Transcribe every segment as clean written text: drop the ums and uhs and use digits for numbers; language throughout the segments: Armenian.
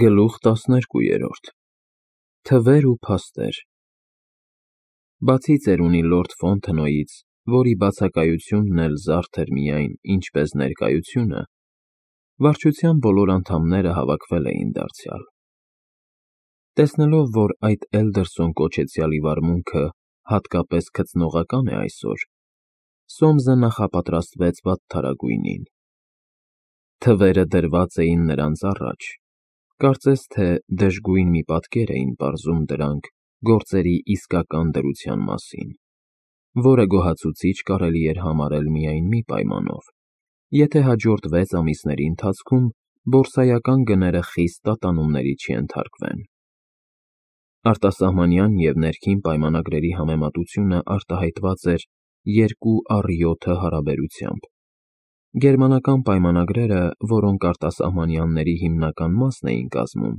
Գլուխ 12 Թվեր ու փաստեր Բացի ծերունի լորդ Ֆոնթենոյից, որի բացակայությունն էլ զարդ էր միայն ինչպես ներկայությունը, վարչության բոլոր անդամները հավաքվել էին դարձյալ։ Տեսնելով, որ այդ Էլդերսոն կոչեցյալի վարմունքը հատկապես գծնողական է այսօր, Սոմսը նախապատրաստվեց վատթարագույնին։ Թվերը դրված էին նրանց առաջ, կարծես թե դժգույն մի պատկեր էին պարզում դրանք գործերի իսկական դրության մասին, որը գոհացուցիչ կարելի էր համարել միայն մի պայմանով, եթե հաջորդ 6 ամիսների ընթացքում բորսայական գները խիստ տատանումների չենթարկվեն։ Արտասահմանյան և ներքին պայմանագրերի համեմատությունը արտահայտված էր 2/7 հարաբերությամբ։ Գերմանական պայմանագրերը, որոնք արտասահմանյանների հիմնական մասն էին կազմում,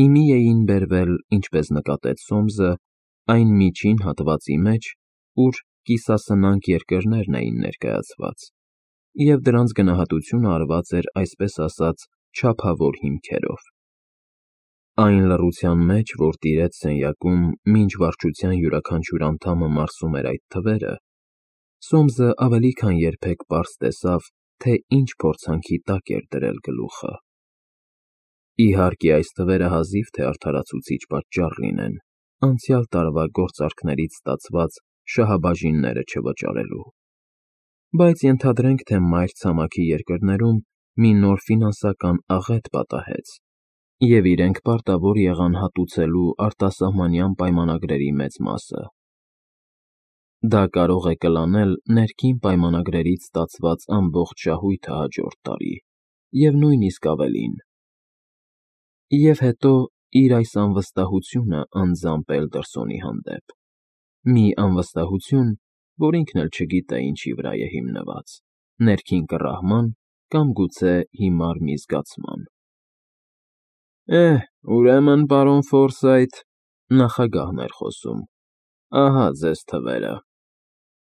իմի էին բերվել, ինչպես նկատեց Սոմսը, այն միջին հատվածի մեջ, ուր կիսասնանկ երկրներն էին ներկայացված, և դրանց գնահատությունը արված էր այսպես ասած չափավոր հիմքերով։ Այն լռության մեջ, որ տիրեց սենյակում, մինչ վարչության յուրաքանչյուր անդամը մարսում էր այդ թվերը, Սոմսը ավելի քան երբեք պարզ տեսավ, թե ինչ փորձանքի տակ էր դրել գլուխը։ Իհարկե, այս թվերը հազիվ թե արդարացուցիչ պատճառ լինեն անցյալ տարվա գործարքներից ստացված շահաբաժինները չվճարելու, բայց ենթադրենք, թե մայր ցամաքի երկրներում մի նոր ֆինանսական աղետ պատահեց, և իրենք պարտավոր եղան հատուցելու արտասահմանյան պայմանագրերի մեծ մասը։ Դա կարող է կլանել ներքին պայմանագրերից ստացված ամբողջ շահույթը հաջորդ տարի, և նույնիսկ ավելին։ Եվ հետո իր այս անվստահությունը անձամբ Էլդերսոնի հանդեպ, մի անվստահություն, որ ինքն էլ չգիտե ինչի վրա է հիմնված՝ ներքին կռահման կամ գուցե հիմար մի զգացման։ Ուրեմն, պարոն Ֆորսայթ, նախագահն էր խոսում, ահա ձեզ թվերը,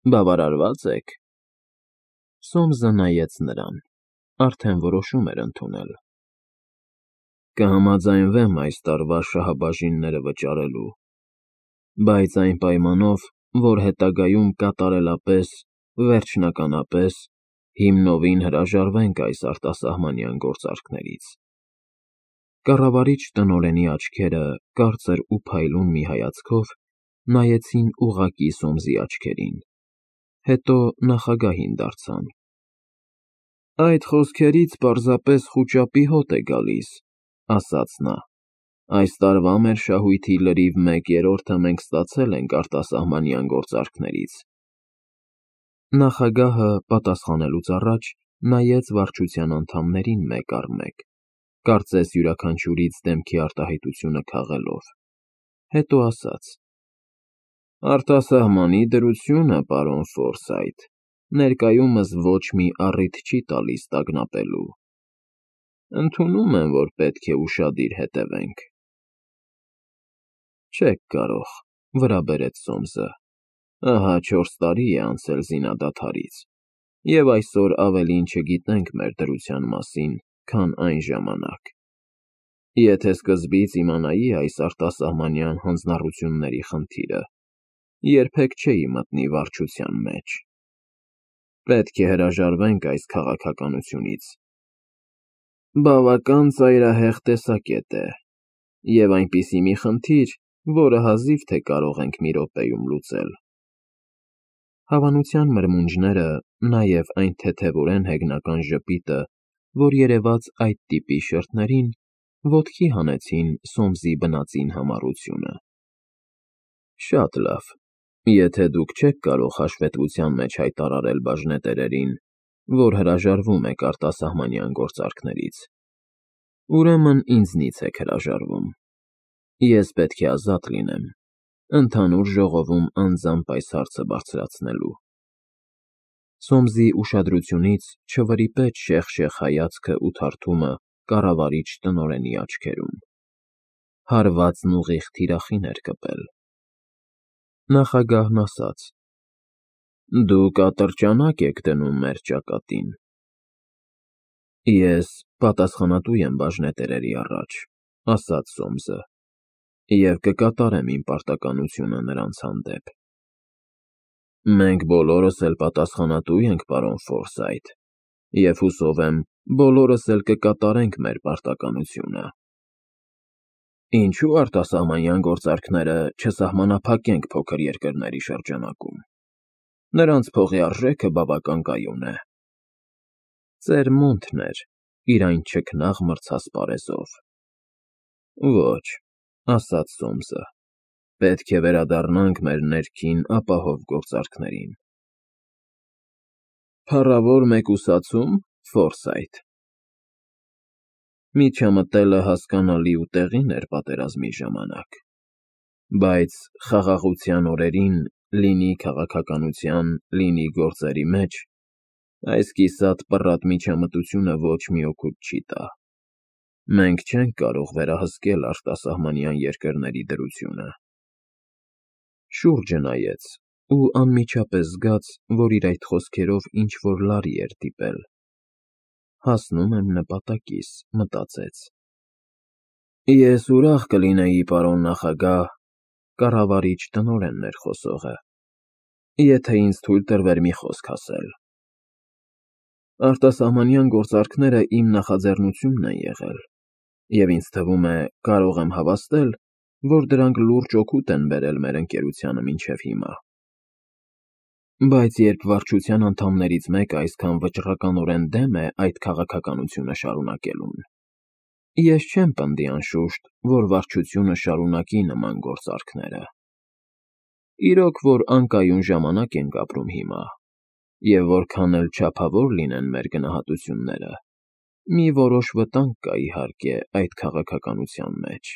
բավարարվա՞ծ եք։ Սոմսը նայեց նրան, արդեն որոշում էր ընդունել։ Կհամաձայնվեմ այս տարվա շահաբաժինները վճարելու, բայց այն պայմանով, որ հետագայում կատարելապես, վերջնականապես, հիմնովին հրաժարվենք այս արտասահմանյան գործարքներից։ Կառավարիչ տնօրենի աչքերը, կարծր ու փայլուն մի հայացքով, նայեցին ուղղակի Սոմսի աչքերին, հետո նախագահին դարձան. Այդ խոսքերից պարզապես խուճապի հոտ է գալիս, ասաց նա, այս տարվա մեր շահույթի լրիվ 1/3-ը մենք ստացել ենք արտասահմանյան գործարքներից։ Նախագահը, պատասխանելուց առաջ, նայեց վարչության անդամներին մեկ առ մեկ, կարծես յուրաքանչյուրից դեմքի արտահայտությունը քաղելով, հետո ասաց. Արտասահմանի դրությունը, պարոն Ֆորսայթ, ներկայումս ոչ մի առիթ չի տալիս տագնապելու։ Ընդունում եմ, որ պետք է ուշադիր հետևենք։ Չեք կարող, վրա բերեց Սոմսը, ահա 4 տարի է անցել զինադադարից, և այսօր ավելին չգիտենք մեր դրության մասին, քան այն ժամանակ։ Եթե սկզբից իմանայի այս արտասահմանյան հանձնառությունների խնդիրը, երբեք չէի մտնի վարչության մեջ։ Պետք է հրաժարվենք այս քաղաքականությունից։ Բավական ծայրահեղ տեսակետ է, և այնպիսի մի խնդիր, որը հազիվ թե կարող ենք մի րոպեում լուծել։ Հավանության մրմունջները, նաև այն թեթևորեն հեգնական ժպիտը, որ երևաց այդ տիպի շերտներին, ոտքի հանեցին Սոմսի բնածին համառությունը։ Շատ լավ, եթե դուք չեք կարող հաշվետվության մեջ հայտարարել բաժնետերերին, որ հրաժարվում եք արտասահմանյան գործարքներից, ուրեմն ինձնից եք հրաժարվում։ Ես պետք է ազատ լինեմ, ընդհանուր ժողովում անձամբ այս հարցը բարձրացնելու։ Սոմսի ուշադրությունից չվրիպեց շեղ-շեղ հայացքը ու թարթումը կառավարիչ տնօրենի աչքերում։ Հարվածն ուղիղ թիրախին էր կպել։ Նախագահն ասաց. Դուք ատրճանակ եք դնում մեր ճակատին։ Ես պատասխանատու եմ բաժնետերերի առաջ, ասաց Սոմսը, և կկատարեմ իմ պարտականությունը նրանց հանդեպ։ Մենք բոլորս էլ պատասխանատու ենք, պարոն Ֆորսայթ, և հուսով եմ, բոլորս էլ կկատարենք մեր պարտականությունը։ Ինչու արտասահմանյան գործարքները չսահմանափակենք փոքր երկրների շրջանակում։ Նրանց փողի արժեքը բավական կայուն է։ Ծեր մոնթն էր, իր այն չքնաղ մրցած պարեզով։ Ոչ, ասաց Սոմսը, պետք է վերադառնանք մեր ներքին ապահով գործարքներին։ Փառավոր մեկուսացում, Ֆորսայթ։ Միջամտելը հասկանալի ու տեղին էր պատերազմի ժամանակ, բայց խաղաղության օրերին, լինի քաղաքականության, լինի գործերի մեջ, այս կիսատ պռատ միջամտությունը ոչ մի օգուտ չի տա։ Մենք չենք կարող վերահսկել արտասահմանյան երկրների դրությունը։ Շուրջը նայեց ու անմիջապես զգաց, որ իր այդ խոսքերով ինչ-որ լարի էր դիպել։ Հասնում եմ նպատակիս, մտածեց։ Ես ուրախ կլինեի, պարոն նախագահ, կառավարիչ տնօրենն էր խոսողը, եթե ինձ թույլ տրվեր մի խոսք ասել։ Արտասահմանյան գործարքները իմ նախաձեռնությունն են եղել, և ինձ թվում է, կարող եմ հավաստել, որ դրանք լուրջ օգուտ են բերել մեր ընկերությանը մինչև հիմա։ Բայց երբ վարչության անդամներից մեկը այսքան վճռականորեն դեմ է այդ քաղաքականությունը շարունակելուն, ես չեմ պնդի անշուշտ, որ վարչությունը շարունակի նման գործարքները։ Իրոք, որ անկայուն ժամանակ ենք ապրում հիմա, և որքան էլ չափավոր լինեն մեր գնահատությունները, մի որոշ վտանգ կա, իհարկե, այդ քաղաքականության մեջ։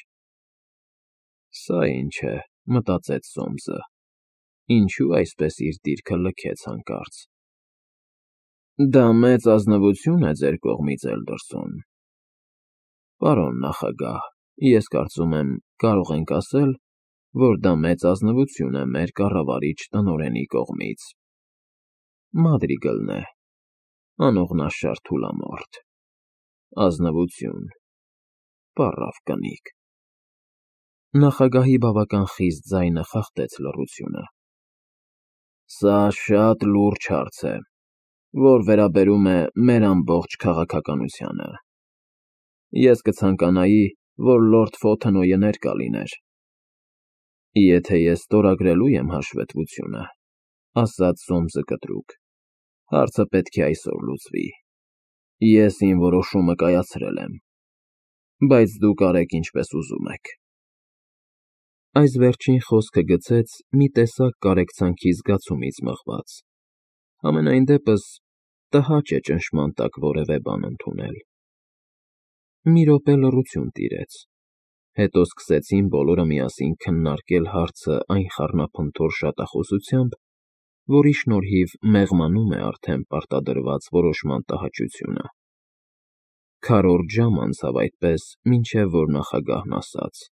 Սա ինչ է, մտածեց Սոմսը, ինչու այսպես իր դիրքը լքեց հանկարծ։ Դա մեծ ազնվություն է ձեր կողմից, Էլդերսոն։ Պարոն նախագահ, ես կարծում եմ, կարող ենք ասել, որ դա մեծ ազնվություն է մեր կառավարիչ տնօրենի կողմից։ Մադրիգլն է, անողնաշար թուլամորթ։ Ազնվություն, պառավ կնիկ։ Նախագահի բավական խիստ ձայնը խախտեց լռությունը։ Սա շատ լուրջ հարց է, որ վերաբերում է մեր ամբողջ քաղաքականությանը։ Ես կցանկանայի, որ լորդ Ֆոթենոյը ներկա լիներ։ Եթե ես ստորագրելու եմ հաշվետվությունը, ասաց Սոմսը կտրուկ, հարցը պետք է այսօր լուծվի։ Ես իմ որոշումը կայացրել եմ, բայց դուք արեք ինչպես ուզում եք։ Այս վերջին խոսքը գցեց մի տեսակ կարեկցանքի զգացումից մղված։ Համենայն դեպս տհաճ է ճնշման տակ որևէ բան ընդունել։ Մի րոպե լռություն տիրեց, հետո սկսեցին բոլորը միասին քննարկել հարցը այն խառնափնթոր շատախոսությամբ, որի շնորհիվ մեղմանում է արդեն պարտադրված որոշման տհաճությունը։ Քառորդ ժամ անցավ այդպես, մինչև որ նախագահն ասաց.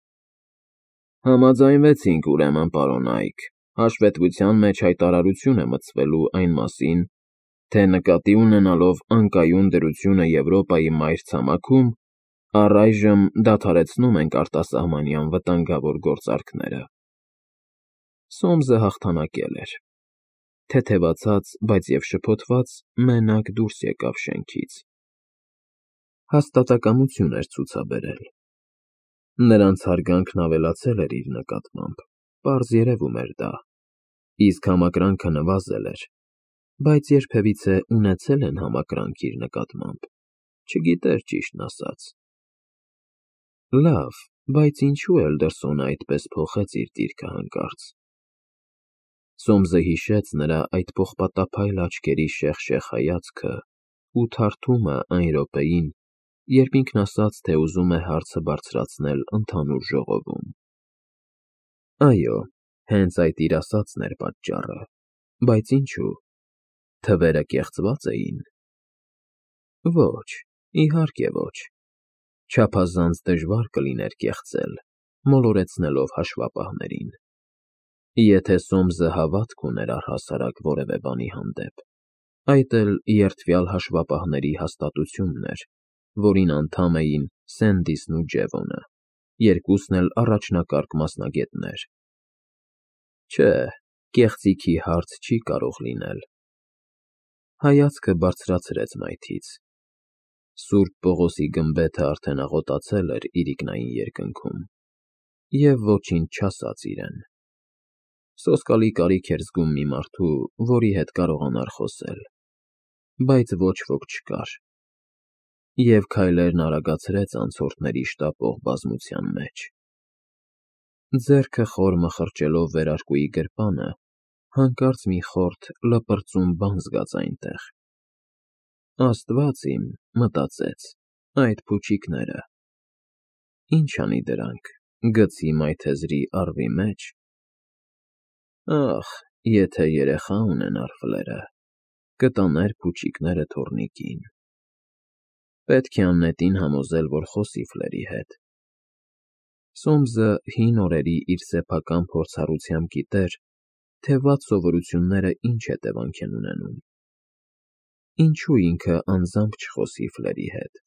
Համաձայնվեցինք, ուրեմն, պարոն Այք, հաշվետվության մեջ հայտարարություն է մտցվելու այն մասին, թե նկատի ունենալով անկայուն դրությունը Եվրոպայի մայրցամաքում, առայժմ դադարեցնում ենք արտասահմանյան վտանգավոր գործարքները։ Սոմսը հաղթանակել էր։ Թեթևացած, բայց և շփոթված, մենակ դուրս եկավ շենքից։ Հաստատակամություն էր ցուցաբերել։ Նրանց հարգանքն ավելացել էր իր նկատմամբ, պարզ երևում էր դա, իսկ համակրանքը նվազել էր, բայց երբևիցե ունեցել են համակրանք իր նկատմամբ, չգիտեր ճիշտն ասած։ Լավ, բայց ինչու Էլդերսոնը այդպես փոխեց իր դիրքը հանկարծ։ Սոմսը հիշեց նրա այդ պողպատափայլ աչքերի շեղ-շեղ հայացքը ու թարթումը այն րոպեին, երբ ինքն ասաց, թե ուզում է հարցը բարձրացնել ընդհանուր ժողովում։ Այո, հենց այդ իր ասածն էր պատճառը, բայց ինչու։ Թվերը կեղծվա՞ծ էին։ Ոչ, իհարկե ոչ։ Չափազանց դժվար կլիներ կեղծել, մոլորեցնելով հաշվապահներին։ Եթե Սոմսը հավատք ուներ առհասարակ որևէ բանի հանդեպ։ Այդ էլ երդվյալ հաշվապահների հաստատությունն էր, որին անդամ էին Սենդիսն ու Ջևոնը, երկուսն էլ առաջնակարգ մասնագետներ։ Չէ, կեղծիքի հարց չի կարող լինել։ Հայացքը բարձրացրեց մայթից։ Սուրբ Պողոսի գմբեթը արդեն աղոտացել էր իրիկնային երկնքում, և ոչինչ չասաց իրեն։ Սոսկալի կարիք էր զգում մի մարդու, որի հետ կարողանար խոսել, բայց ոչ ոք չկար, և քայլերն արագացրեց անցորդների շտապող բազմության մեջ։ Ձեռքը խոր մխրճելով վերարկուի գրպանը, հանկարծ մի խորթ լպրծուն բան զգաց այնտեղ։ Աստված իմ, մտածեց, այդ փուչիկները… Ինչ անի դրանք, գցի մայթեզրի առվի մեջ… Ախ, եթե երեխա ունենար Ֆլերը, կտաներ փուչիկները թոռնիկին… Պետք է աննետին համոզել, որ խոսի Ֆլերի հետ։ Սոմսը հին օրերի իր սեփական փորձառությամբ գիտեր, թե վատ սովորությունները ինչ հետևանք են ունենում։ Ինչու ինքը անձամբ չխոսի Ֆլերի հետ։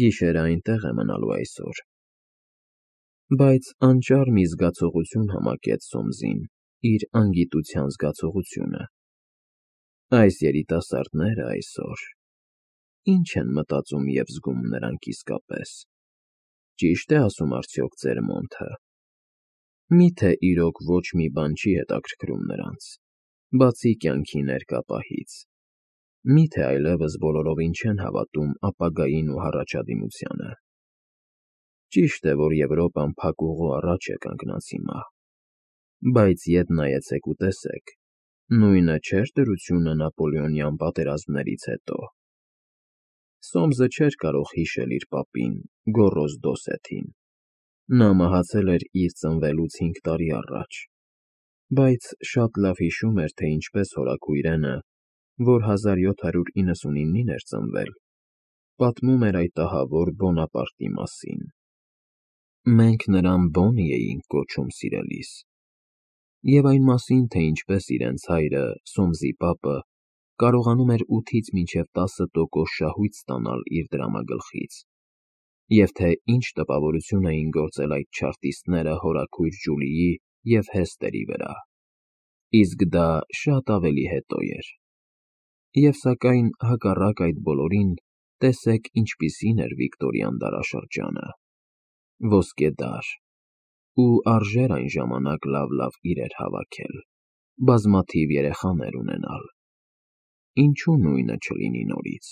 Գիշերը այնտեղ է մնալու այսօր։ Բայց անճար մի զգացողություն համակեց Սոմսին իր անգիտության զգացողությունը։ Այս երիտասարդները այսօր… Ինչ են մտածում և զգում նրանք իսկապես։ Ճի՞շտ է ասում արդյոք ձեր Մոնթը։ Մի՞թե իրոք ոչ մի բան չի հետաքրքրում նրանց, բացի կյանքի ներկա պահից։ Մի՞թե այլևս բոլորովին չեն հավատում ապագային ու հառաջադիմությանը։ Ճիշտ է, որ Եվրոպան փակուղու առաջ է կանգնած հիմա, բայց ետ նայեցեք ու տեսեք, նույնը չէր դրությունը Նապոլեոնյան պատերազմներից հետո։ Սոմսը չէր կարող հիշել իր պապին՝ Գոռոզ Դոսեթին։ Նա մահացել էր իր ծնվելուց 5 տարի առաջ, բայց շատ լավ հիշում էր, թե ինչպես հորաքույրենը, որ 1799-ին էր ծնվել, պատմում էր այդ ահավոր Բոնապարտի մասին։ Մենք նրան Բոնի էինք կոչում սիրելիս։ Եվ այն մասին, թե ինչպես իրենց հայրը՝ Սոմսի պապը, կարողանում էր 8-ից մինչև 10% շահույթ ստանալ իր դրամագլխից, և թե ինչ տպավորություն էին գործել այդ չարտիստները հորաքույր Ջուլիի և Հեստերի վրա։ Իսկ դա շատ ավելի հետո էր։ Եվ սակայն, հակառակ այդ բոլորին, տեսեք ինչպիսին էր Վիկտորյան դարաշրջանը։ Ոսկե դար։ Ու արժեր այն ժամանակ լավ իրեր հավաքել, բազմաթիվ երեխաներ ունենալ։ Ինչու նույնը չլինի նորից։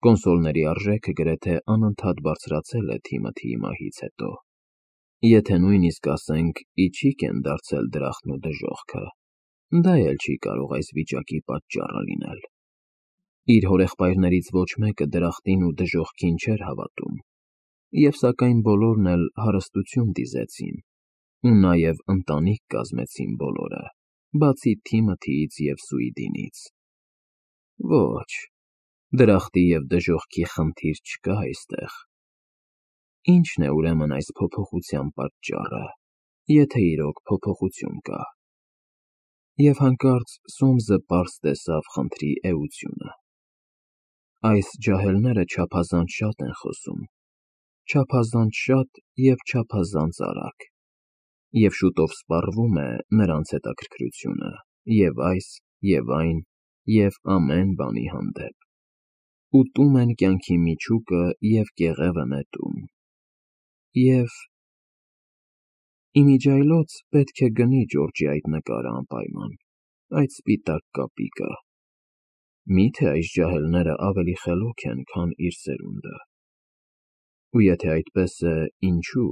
Կոնսոլների արժեքը գրեթե անընդհատ բարձրացել է Թիմոթիի մահից հետո։ Եթե նույնիսկ ասենք իջիկ են դարձել դրախտն ու դժոխքը, դա էլ չի կարող այս վիճակի պատճառը լինել։ Իր հորեղբայրներից ոչ մեկը դրախտին ու դժոխքին չէր հավատում, և սակայն բոլորն էլ հարստություն դիզեցին, ու նաև ընտանիք կազմեցին բոլորը, բացի Թիմոթիից և Սուիդինից։ Ոչ, դրախտի և դժոխքի խնդիր չկա այստեղ։ Ի՞նչն է ուրեմն այս փոփոխության պատճառը, եթե իրոք փոփոխություն կա։ Եվ հանկարծ Սոմսը պարզ տեսավ խնդրի էությունը։ Այս ջահելները չափազանց շատ են խոսում, չափազանց շատ և չափազանց արագ, և շուտով սպառվում է նրանց հետաքրքրությունը և այս, և այն, և ամեն բանի հանդեպ։ Ուտում են կյանքի միջուկը և կեղևը նետում։ Եվ… Իմիջիայլոց պետք է գնի Ջորջի այդ նկարը անպայման, այդ սպիտակ կապիկը։ Մի՞թե այս ջահելները ավելի խելոք են, քան իր սերունդը։ Ու եթե այդպես է, ինչու՞։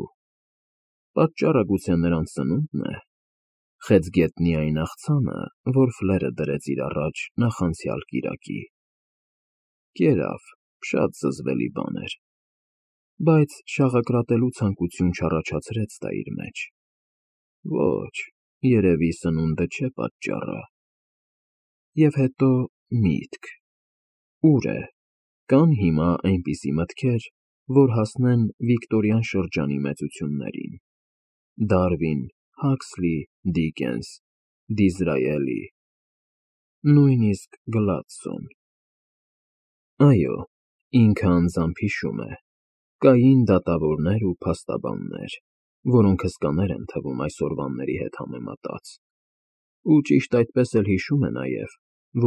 Պատճառը գուցե նրանց սնո՞ւնդն է։ Խեցգետնի այն աղցանը, որ Ֆլերը դրեց իր առաջ նախանցյալ կիրակի։ Կերավ, շատ զզվելի բան էր, բայց շաղակրատելու ցանկություն չառաջացրեց դա իր մեջ։ Ոչ, երևի սնունդը չէ պատճառը։ Եվ հետո միտք… Ուր է, կան հիմա այնպիսի մտքեր, որ հասնեն Վիկտորյան շրջանի մեծություններին՝ Դարվին, Հաքսլի, Դիկենս, Դիզրայելի։ նույնիսկ Գլադստոն։ Այո, ինքը անձամբ հիշում է. կային դատավորներ ու փաստաբաններ, որոնք հսկաներ են թվում այսօրվանների հետ համեմատած, ու ճիշտ այդպես էլ հիշում է նաև,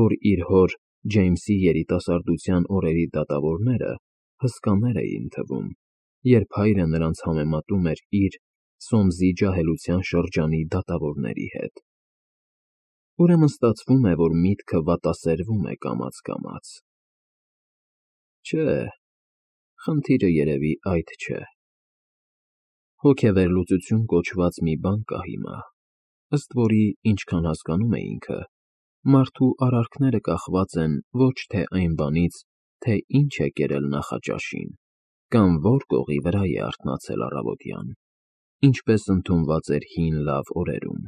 որ իր հոր Ջեյմսի երիտասարդության օրերի դատավորները հսկաներ էին թվում, երբ հայրը նրանց համեմատում էր իր Սոմսի ջահելության շրջանի դատավորների հետ։ Ուրեմն ստացվում է, որ միտքը վատասերվում է կամաց-կամաց։ Չէ, խնդիրը երևի այդ չէ։ Հոգեվերլուծություն կոչված մի բան կա հիմա, ըստ որի, ինչքան հասկանում է ինքը, մարդու արարքները կախված են ոչ թե այն բանից, թե ինչ է կերել նախաճաշին, կամ որ կողի վրա է արթնացել առավոտյան, ինչպես ընդունված էր հին լավ օրերում,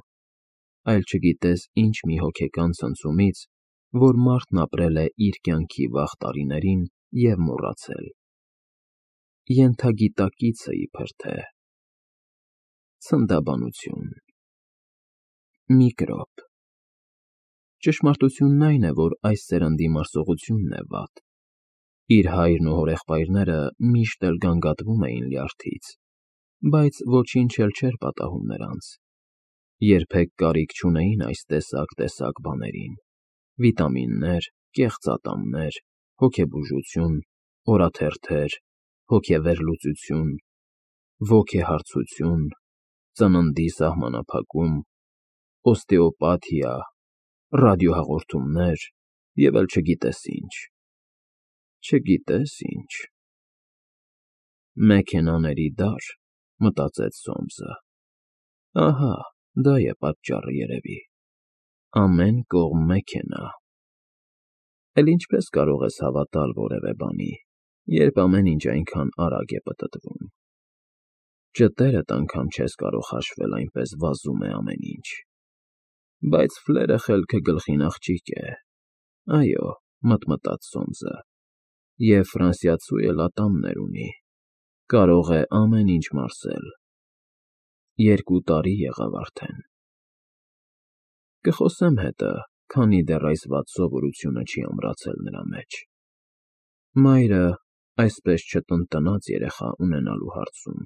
այլ չգիտես ինչ մի հոգեկան ցնցումից, որ մարդն ապրել է իր կյանքի վաղ տարիներին և մոռացել։ Ենթագիտակիցը իբր թե։ Ցնդաբանություն։ Միկրոբ։ Ճշմարտությունն այն է, որ այս սերնդի մարսողությունն է վատ։ Իր հայրն ու հորեղբայրները միշտ էլ գանգատվում էին լյարդից, բայց ոչինչ էլ չէր պատահում նրանց։ Երբեք կարիք չունեին այս տեսակ բաներին. վիտամիններ, կեղծատամներ, հոգեբուժություն, օրաթերթեր, հոգեվերլուծություն, ոգեհարցություն, ծննդի սահմանափակում, օստեոպաթիա, ռադիոհաղորդումներ և էլ չգիտես ինչ։ Չգիտես ինչ։ Մեքենաների դար, մտածեց Սոմսը։ Ահա, դա է պատճառը երևի։ Ամեն կողմ մեքենա։ Էլ ինչպես կարող ես հավատալ որևէ բանի, երբ ամեն ինչ այնքան արագ է պտտվում։ Ճտերդ անգամ չես կարող հաշվել, այնպես վազում է ամեն ինչ։ Բայց ֆլերը խելքը գլխին աղջիկ է։ Այո, մտմտաց Սոմսը, և ֆրանսիացու էլ ատամներ ունի, կարող է ամեն ինչ մարսել։ 2 տարի եղավ արդեն։ Կխոսեմ հետը, քանի դեռ այս վատ սովորությունը չի ամրացել նրա մեջ։ Մայրը այսպես չտնտնաց երեխա ունենալու հարցում։